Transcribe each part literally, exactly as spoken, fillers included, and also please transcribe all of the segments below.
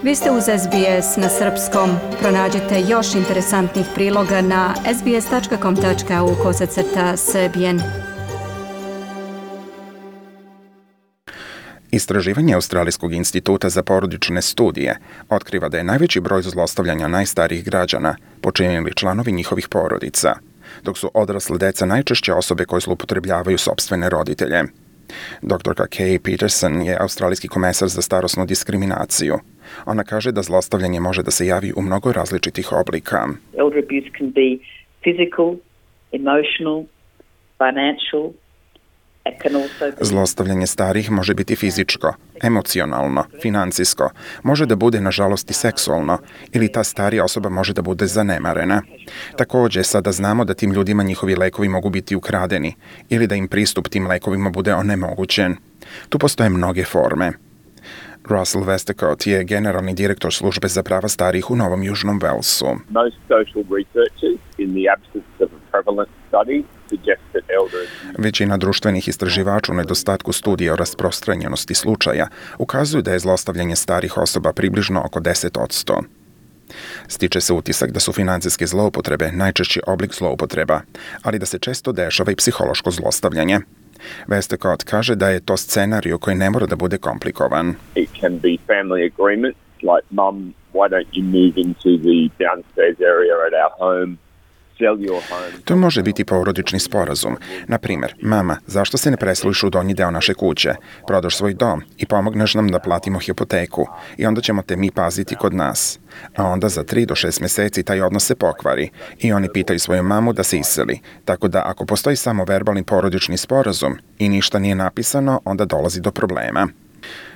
Vi ste uz S B S na srpskom. Pronađite još interesantnih priloga na sbs.com.au kosacrta srbijen. Istraživanje Australijskog instituta za porodične studije otkriva da je najveći broj zlostavljanja najstarijih građana počinili članovi njihovih porodica, dok su odrasle deca najčešće osobe koje zloupotrebljavaju sopstvene roditelje. Doktorka Kay Peterson je australijski komesar za starosnu diskriminaciju. Ona kaže da zlostavljanje može da se javi u mnogo različitih oblika. Elder abuse can be physical, emotional, financial. Zlostavljanje starih može biti fizičko, emocionalno, financijsko, može da bude nažalost i seksualno ili ta starija osoba može da bude zanemarena. Također, sada znamo da tim ljudima njihovi lekovi mogu biti ukradeni ili da im pristup tim lekovima bude onemogućen. Tu postoje mnoge forme. Russell Westacott je generalni direktor službe za prava starijih u Novom Južnom Walesu. Most social researchers in the absence of a prevalent study suggest that elders... Većina društvenih istraživača u nedostatku studija o rasprostranjenosti slučaja ukazuju da je zlostavljanje starih osoba približno oko deset posto. Stiče se utisak da su financijske zloupotrebe najčešći oblik zloupotreba, ali da se često dešava i psihološko zlostavljanje. Westacott kaže da je to scenario koji ne mora da bude komplikovan. It can be family agreements like mum, why don't you move into the downstairs area at our home? To može biti porodični sporazum. Na primjer, mama, zašto se ne preseliš u donji deo naše kuće? Prodaš svoj dom i pomogneš nam da platimo hipoteku i onda ćemo te mi paziti kod nas. A onda za tri do šest mjeseci taj odnos se pokvari i oni pitaju svoju mamu da se iseli. Tako da ako postoji samo verbalni porodični sporazum i ništa nije napisano, onda dolazi do problema.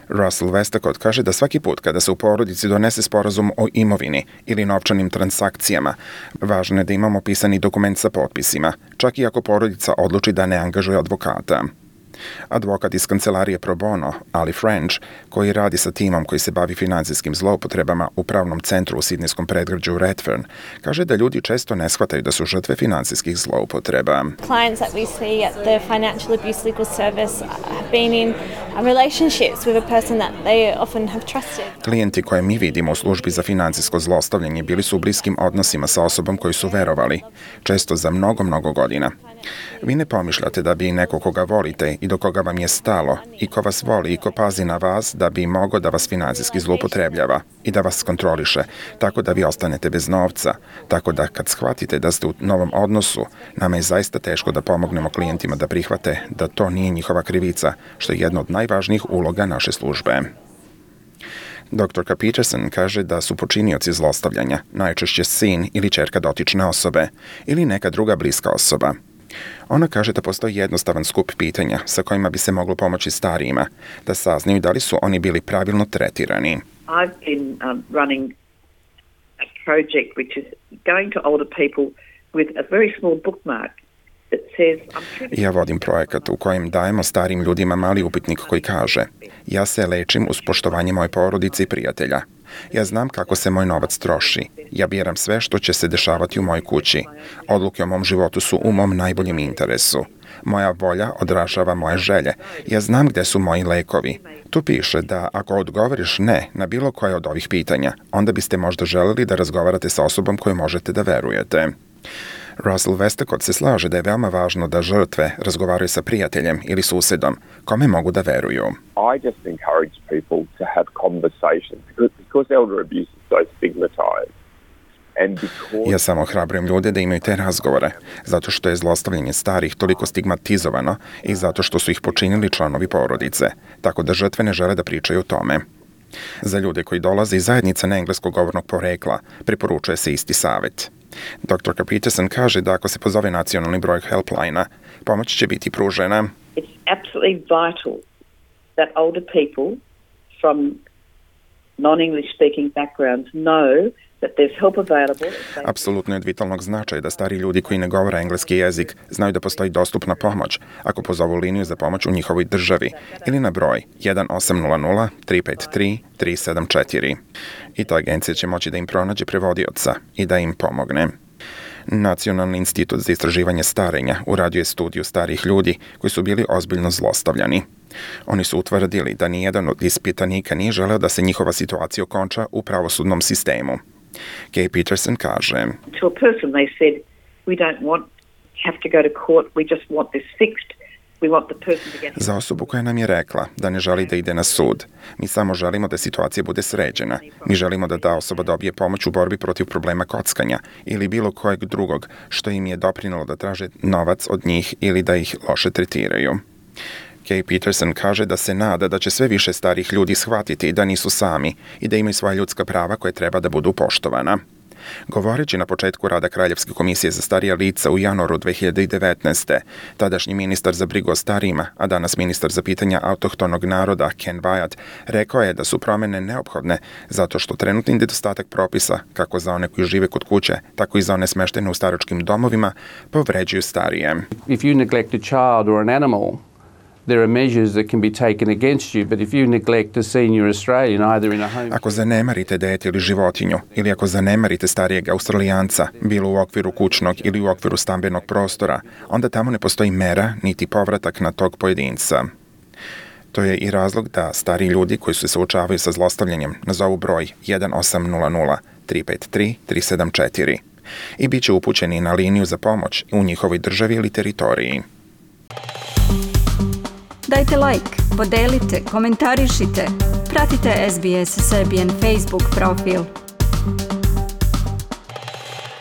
Russell Westacott kaže da svaki put kada se u porodici donese sporazum o imovini ili novčanim transakcijama, važno je da imamo pisani dokument sa potpisima, čak i ako porodica odluči da ne angažuje advokata. Advokat iz kancelarije Pro Bono, Ali French, koji radi sa timom koji se bavi financijskim zloupotrebama u pravnom centru u sidnejskom predgrađu Redfern, kaže da ljudi često ne shvataju da su žrtve financijskih zloupotreba. Clients that we see at the Financial Abuse Legal Service have been in relationships with a person that they often have trusted. Klijenti koje mi vidimo u službi za financijsko zlostavljanje bili su u bliskim odnosima sa osobom koju su verovali, često za mnogo, mnogo godina. Vi ne pomišljate da bi neko koga volite i do koga vam je stalo i ko vas voli i ko pazi na vas da bi mogao da vas financijski zloupotrebljava i da vas kontroliše, tako da vi ostanete bez novca. Tako da kad shvatite da ste u novom odnosu, nama je zaista teško da pomognemo klijentima da prihvate da to nije njihova krivica, što je jedna od najvažnijih uloga naše službe. Doktorka Peterson kaže da su počinioci zlostavljanja najčešće sin ili ćerka dotične osobe ili neka druga bliska osoba. Ona kaže da postoji jednostavan skup pitanja sa kojima bi se moglo pomoći starijima, da saznaju da li su oni bili pravilno tretirani. I've been um, running a project which is going to older people with a very small bookmark that says I'm Ja vodim projekat u kojem dajemo starim ljudima mali upitnik koji kaže: ja se lečim uz poštovanje moje porodice i prijatelja. Ja znam kako se moj novac troši. Ja biram sve što će se dešavati u mojoj kući. Odluke o mom životu su u mom najboljem interesu. Moja volja odražava moje želje. Ja znam gde su moji lekovi. Tu piše da ako odgovoriš ne na bilo koje od ovih pitanja, onda biste možda želeli da razgovarate sa osobom koju možete da verujete. Russell Westacott se slaže da je veoma važno da žrtve razgovaraju sa prijateljem ili susedom, kome mogu da veruju. I just encourage people to have conversations because, because elder abuse is so stigmatized. And because... Ja samo ohrabrujem ljude da imaju te razgovore, zato što je zlostavljanje starih toliko stigmatizovano i zato što su ih počinili članovi porodice, tako da žrtve ne žele da pričaju o tome. Za ljude koji dolaze iz zajednica neengleskog govornog porekla, preporučuje se isti savjet. Doktorka Peterson kaže da ako se pozove nacionalni broj helpline-a, pomoć će biti pružena. It's absolutely vital that older people from non-English speaking backgrounds know that there's help available. Apsolutno je od vitalnog značaja da stari ljudi koji ne govore engleski jezik znaju da postoji dostupna pomoć ako pozovu liniju za pomoć u njihovoj državi ili na broj jedan osam nula nula tri pet tri tri sedam četiri. I ta agencija će moći da im pronađe prevodioca i da im pomogne. Nacionalni institut za istraživanje starenja uradio je studiju starih ljudi koji su bili ozbiljno zlostavljani. Oni su utvrdili da nijedan od ispitanika nije želeo da se njihova situacija okonča u pravosudnom sistemu. Kay Peterson kaže: To a person they said, we don't want have to go to court, we just want this fixed. We want the person to get... Za osobu koja nam je rekla da ne želi da ide na sud, mi samo želimo da situacija bude sređena. Mi želimo da ta osoba dobije pomoć u borbi protiv problema kockanja ili bilo kojeg drugog što im je doprinalo da traže novac od njih ili da ih loše tretiraju. Kay Peterson kaže da se nada da će sve više starih ljudi shvatiti da nisu sami i da imaju svoja ljudska prava koje treba da budu poštovana. Govoreći na početku rada Kraljevske komisije za starija lica u januaru dve hiljade devetnaeste. tadašnji ministar za brigu o starijima, a danas ministar za pitanja autohtonog naroda Ken Wyatt, rekao je da su promene neophodne zato što trenutni nedostatak propisa, kako za one koji žive kod kuće, tako i za one smeštene u staračkim domovima, povređuju starije. If you neglect a child or an animal, there are measures that can be taken against you, but if you neglect a senior Australian either in a home... Ako zanemarite dete ili životinju, ili ako zanemarite starijeg Australijanca, bilo u okviru kućnog ili u okviru stambenog prostora, onda tamo ne postoji mera niti povratak na tog pojedinca. To je i razlog da stari ljudi koji se suočavaju sa zlostavljanjem nazovu broj jedan osam nula nula tri pet tri tri sedam četiri i bit će upućeni na liniju za pomoć u njihovoj državi ili teritoriji. Dajte like, podelite, komentarišite, pratite S B S Serbian Facebook profil.